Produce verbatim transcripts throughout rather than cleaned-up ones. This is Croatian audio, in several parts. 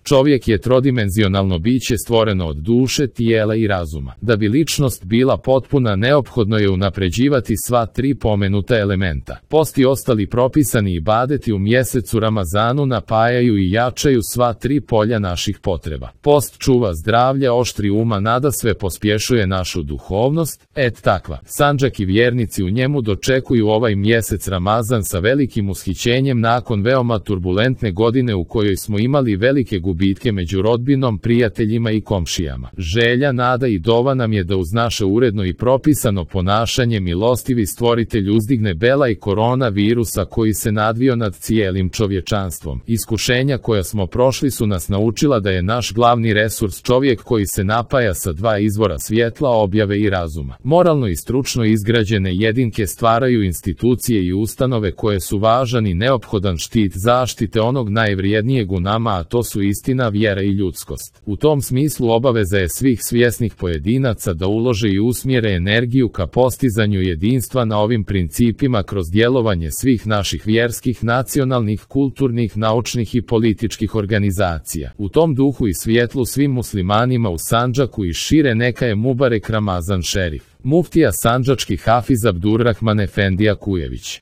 Čovjek je trodimenzionalno biće stvoreno od duše, tijela i razuma. Da bi ličnost bila potpuna, neophodno je unapređivati sva tri pomenuta elementa. Post i ostali propisani ibadeti u mjesecu Ramazanu napajaju i jačaju sva tri polja naših potreba. Post čuva zdravlje, oštri uma, nadasve pospješuje našu duhovnost, et takva. Sandžak i vjernici u njemu dočekuju ovaj mjesec Ramazan sa velikim ushićenjem nakon veoma turbulentne godine u kojoj smo imali velike gubitke među rodbinom, prijateljima i komšijama. Želja, nada i dova nam je da uz naše uredno i propisano ponašanje milostivi Stvoritelj uzdigne bela i korona virusa koji se nadvio nad cijelim čovječanstvom. Iskušenja koja smo prošli su nas naučila da je naš glavni resurs čovjek koji se napaja sa dva izvora svjetla, objave i razuma. Moralno i stručno izgrađene jedinke stvaraju institucije i ustanove koje su važan i neophodan štit zaštite onog najvrijednijeg u nama, a to su istina, vjera i ljudskost. U tom smislu obaveza je svih svjesnih pojedinaca da ulože i usmjere energiju ka postizanju jedinstva na ovim principima kroz djelovanje svih naših vjerskih, nacionalnih, kulturnih, naučnih i političkih organizacija. U tom duhu i svjetlu svim muslimanima u Sandžaku i šire neka je Mubarek Ramazan Šerif. Muftija sandžački Hafiz Abdurrahman Efendija Kujević.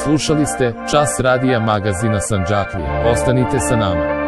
Slušali ste Čas radija magazina Sandžaklija. Ostanite sa nama.